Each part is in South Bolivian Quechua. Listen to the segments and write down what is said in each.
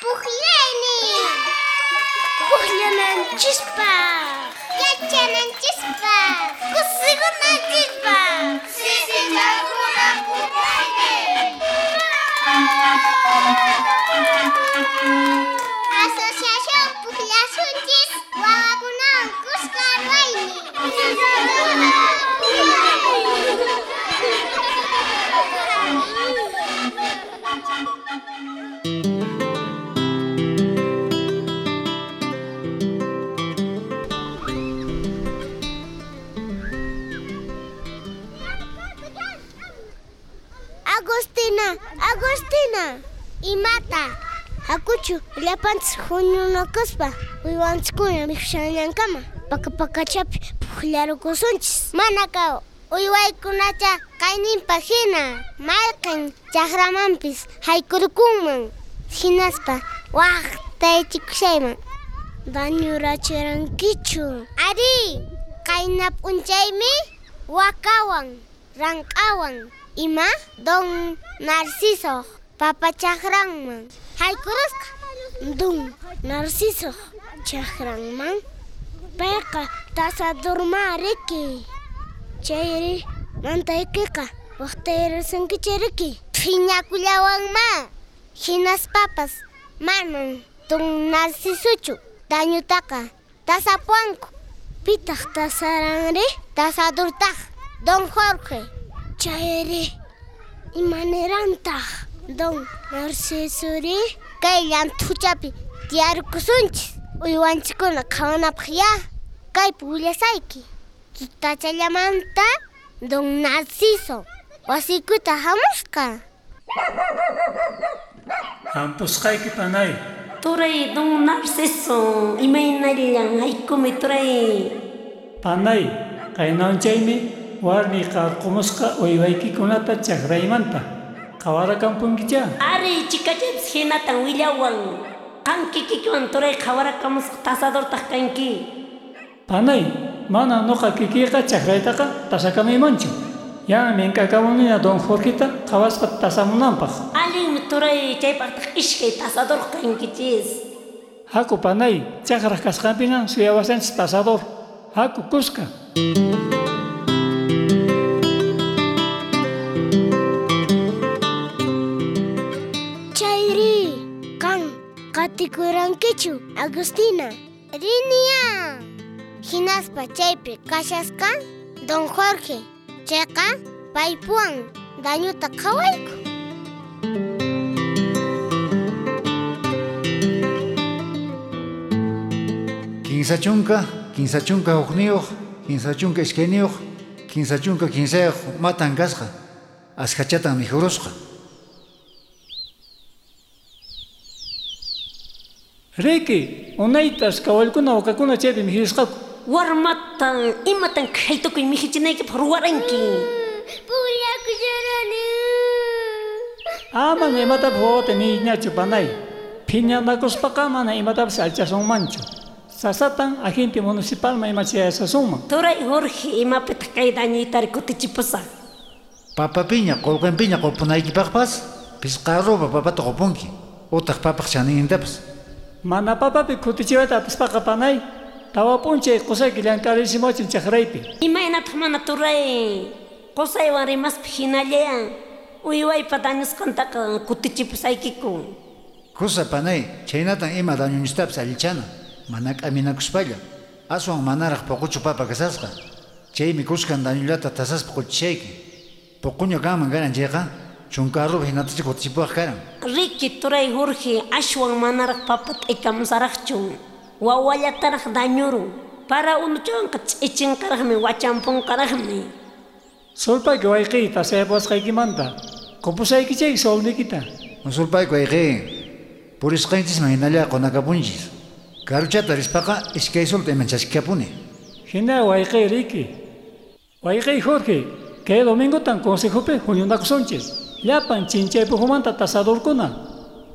Pukllaynin. Pukllananchispaq. Yachananchispaq. Kusikunanchispaq. Sisichakuna pukllaynin. Asociación Pukllasunchis wawakunawan kuska ruwaynin. Agustina, Agustina, imata, hakuchu llapanchis huñunakuspa uywanchiskuna mikhushallankama paka pakachapi pukllarukusunchis. Manaqa uywaykunacha kayninpa hina mayqin chakramanpis haykurukunman hinaspa waqtaychikushayman. Dañurachirankichu? Ari, qayna p'unchaymi wakawan rank'awan ima don Narciso papa chakranman haykurusqa. Don Narciso chakranman payqa tasadurma riki. Chayri mantaykiqa waqtayrasunkicha riki. Phiñakullawanma hinaspapas manan don Narcisochu dañutaqa tasapuwanku. Pitaq tasaranri? Tasadurtaq don Jorge. Chayri imanirantaq don Narcisori? Kay llanthuchapi tiyarkusunchis uywanchikkuna qhawanapaq ya. Kaypi willasayki. Tutachallamanta don Narciso wasiykuta hamusqa. Hampusqayki panay. Turay don Narciso, imaynallan haykumi turay. Panay, qaynanchaymi warmi qarqumusqa uywaykikunata chakraymanta. Qhawarakampunkicha? Ari, chikachapis hinatan willawan. Qan kikikiwan turay qhawarakamusqa tasadurtaq kanki. Panay, mana nuqa kikiyqa chakraytaqa tasakamuymanchu. Ya mink'akamunina don Jorgeta qhawaspa tasamunanpaq. Allinmi turay, chaypaqtaq iskay tasador kankichis. Haku panay, chakraq kasqanpina suyawasanchis tasador. Haku kuska. Chayri, qan qatikurankichu, Agustina? Rinia. Hinaspa chaypi kashasqa don Jorge. Chayqa paypuwan dañuta qhawayku. Kinsa chunka, 51, 52, 53 matan kasqa. Askhachatan mikhurusqa. Riki, unaytas kawalkuna wakakuna chaypi mikhusqaku. Warmatan, imatan khaytukuy mikhuchinaykipaq ruwaranki. Pukllakusharani. Ama imatapas wawata niyñachu panay. Phiñanakuspaqa mana imatapas alchasunmanchu. Sasatan agente municipalman ima chayasasunman. Turay Jorge, imapitaq kay dañuytari kutichipusaq? Papapiña, qullqinpiña qupunaykipaqpas pisqa arroba papata qupunki. Utaq papaq chanintapas. Mana papapi kutichiwayta atispaqa panay, tawa p'unchay qusayki llank'arisimuwachin chakraypi. Imaynataq mana turay, qusaywan rimaspa hinalla uywaypa dañusqantaqa kutichipusaykiku. Kusa panay, chhaynatan ima dañunchistapis allichana, mana k'aminakuspalla. Aswan manaraq puquchu papa kasasqa. Chaymi kuskan dañullata tasaspa quchishayki. Puquña kanman karan chayqa, 10 arroba hinatacha kutichipuwaq karan. Riki turay Jorge, ashwan manaraq papa t'ikamusaraqchu. Wawallataraq dañurun. Para unuchawanqa ch'ichinqaraqmi wachampunqaraqmi. Sulpayki wayqiy tasayapuwasqaykimanta. Qupusaykichayki solnikita. Sulpayki wayqiy, purisqanchisman hinalla qunakapunchis. Karuchata rispaqa iskay solta iman chaskikapuni. Hina wayqiy riki. Wayqiy Jorge, kay domingotan consejopi huñunakusunchis. Llapan chinchaypujumanta tasadurkuna.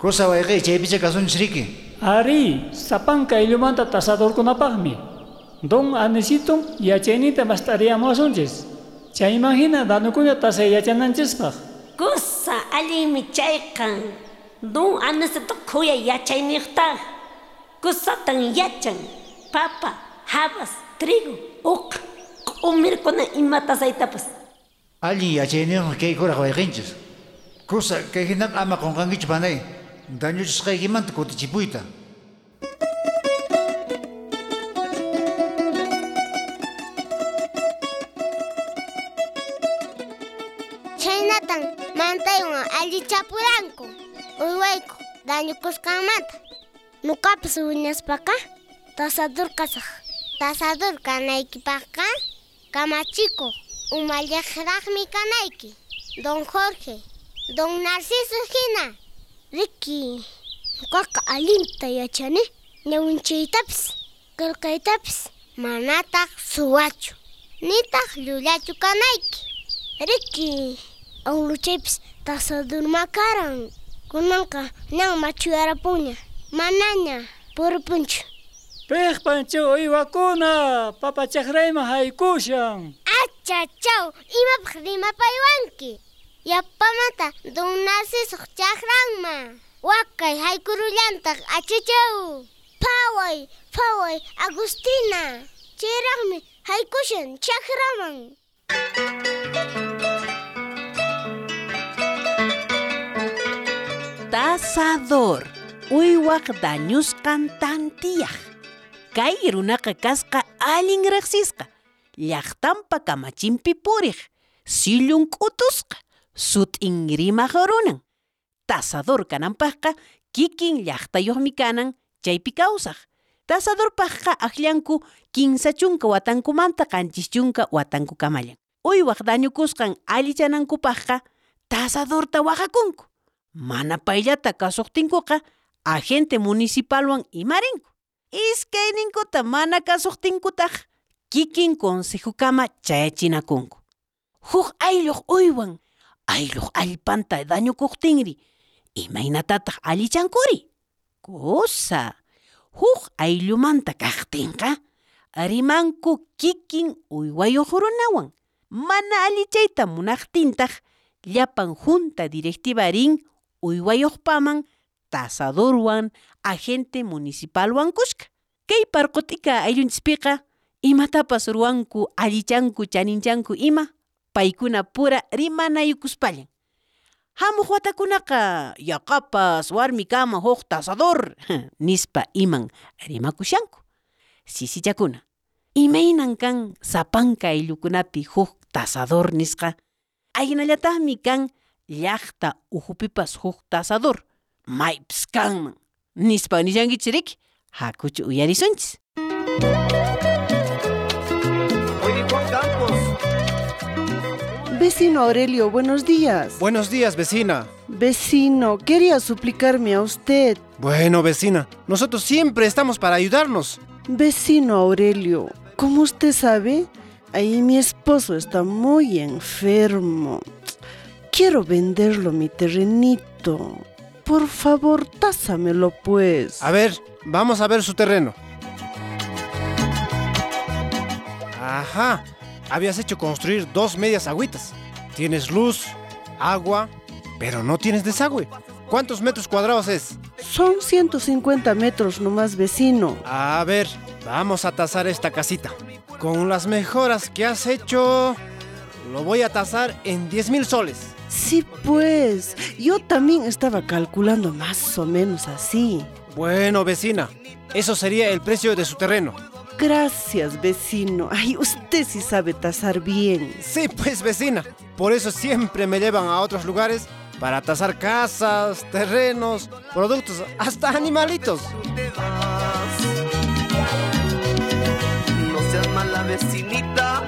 Kusa wayqiy chaypicha kasunchis riki. Ari, sapanka ayllumanta tasadurkunapaqmi. Don Anisito yachayninta mast'ariyamuwasunchis. Chayman hina danukuna tasay yachananchispaq. Kusa, allinmi chayqa. Don Aniceto khuyay yachayniyuqtaq. Kusatan yachan. Papa, habas, trigo, uqa, q'umirkuna ima tasaytapas. Allin yachayniyuqmi kay kuraq wayqinchis. Kusa, kay hinaqa ama qunqankichu panay. Dañuchisqaykimanta kutichipuyta. Chhaynatan mantaywan allichapuranku uywayku dañukusqanmanta. Nuqapas wiñaspaqa tasador kasaq. Tasador kanaykipaqqa kamachikuq umalliqraqmi kanayki. Don Jorge, Don Narciso hina. Riki, nuqaqa allinta yachani ñawinchaytapis, qillqaytapis, manataq suwachu, nitaq llullachu kanayki. Riki, awluchaypis tasadurma karan. Kunanqa ñan machuyarapuña, manaña puripunchu. Piqpan chay uywakuna papa chakrayman haykushan. Achachaw, imapaq rimapaywanki. Yapamanta Don Narciso chakranman. Wakay haykurullantaq achachaw. Phaway, phaway, Agustina. Chayraqmi haykushan chakraman. Tasador, uywaq dañusqan tantiyaq. Kay runaqa kasqa allin riqsisqa. Llaqtanpa kamachinpi puriq, sillun k'utusqa, sut'in rimaq runan. Tasador kananpaqqa kikin llaqtayuqmi kanan chaypi kawsaq. Tasadorpaqqa akllanku 30 watankumanta 70 watankukamallan. Uywaq dañukusqan allichanankupaqqa tasadorta waqakunku. Mana payllata kasuqtinkuqa agente municipalwan imarinku. Iskayninkuta mana kasuqtinkutaq kikin consejukama chayachinakunku. Huk aylluq uywan, aylluq allpanta dañukuqtinri, imaynatataq allichankuri? Kusa, huk ayllumanta kaqtinqa, rimanku kikin uywayuq runawan. Mana allichayta munaqtintaq, llapan junta directiva rin uywayuqpaman, tasadorwan, agente municipalwan kuska. Kay parqut'ika ayllunchispiqa, imatapas ruwanku, allichanku, chaninchanku ima, paykuna pura rimanayukuspallan. Hamuq watakunaqa yaqapas warmikama huk tasador nispa iman rimakushanku. Sisichakuna, imaynan kan sapanka ayllukunapi huk tasador nisqa, ahinallataqmi kan llaqta uhupipas huk tasador, maypis kanman nispa nishankichis riki, hakuchu uyarisunchis. Vecino Aurelio, buenos días. Buenos días, vecina. Vecino, quería suplicarme a usted. Bueno, vecina, nosotros siempre estamos para ayudarnos. Vecino Aurelio, como usted sabe, ahí mi esposo está muy enfermo. Quiero venderlo mi terrenito. Por favor, tásamelo pues. A ver, vamos a ver su terreno. Ajá. Habías hecho construir 2 medias agüitas. Tienes luz, agua, pero no tienes desagüe. ¿Cuántos metros cuadrados es? Son 150 metros nomás, vecino. A ver, vamos a tasar esta casita. Con las mejoras que has hecho, lo voy a tasar en 10,000 soles. Sí, pues. Yo también estaba calculando más o menos así. Bueno, vecina, eso sería el precio de su terreno. Gracias, vecino. Ay, usted sí sabe tasar bien. Sí, pues, vecina. Por eso siempre me llevan a otros lugares para tasar casas, terrenos, productos, hasta animalitos. No seas mala vecinita,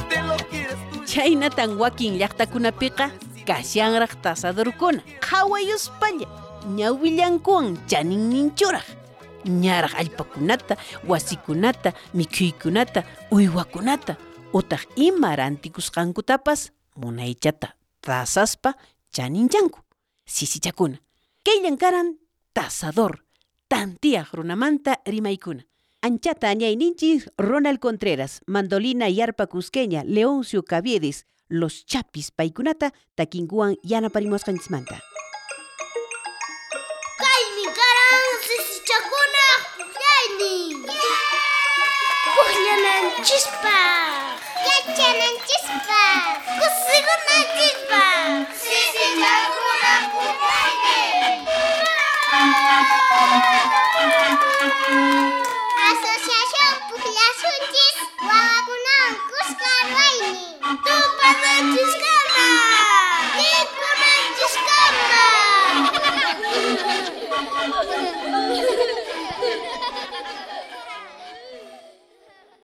te lo quieres tú. Chhaynatan wakin llaqtakunapiqa kashanraq tasadorkuna, qhawayuspalla, ñawillankuwan chaninninchuraq. Ñaraq allpakunata, wasikunata, mikhuykunata, uywakunata, utaq ima rantikusqankutapas munaychata tasaspa chaninchanku. Sisichakuna, kayllan karan tasador, tantiyaq runamanta rimaykuna. Anchata añayninchis Ronald Contreras, Mandolina y Arpa Cusqueña, Leoncio Caviedes, Los Chapis paykunata takinkuwan yanaparimusqanchismanta. Sisichakunaj pukllaynin. Pukllananchispaj, yachananchispaj, kusikunanchispaj. Sisichakunaj pukllaynin.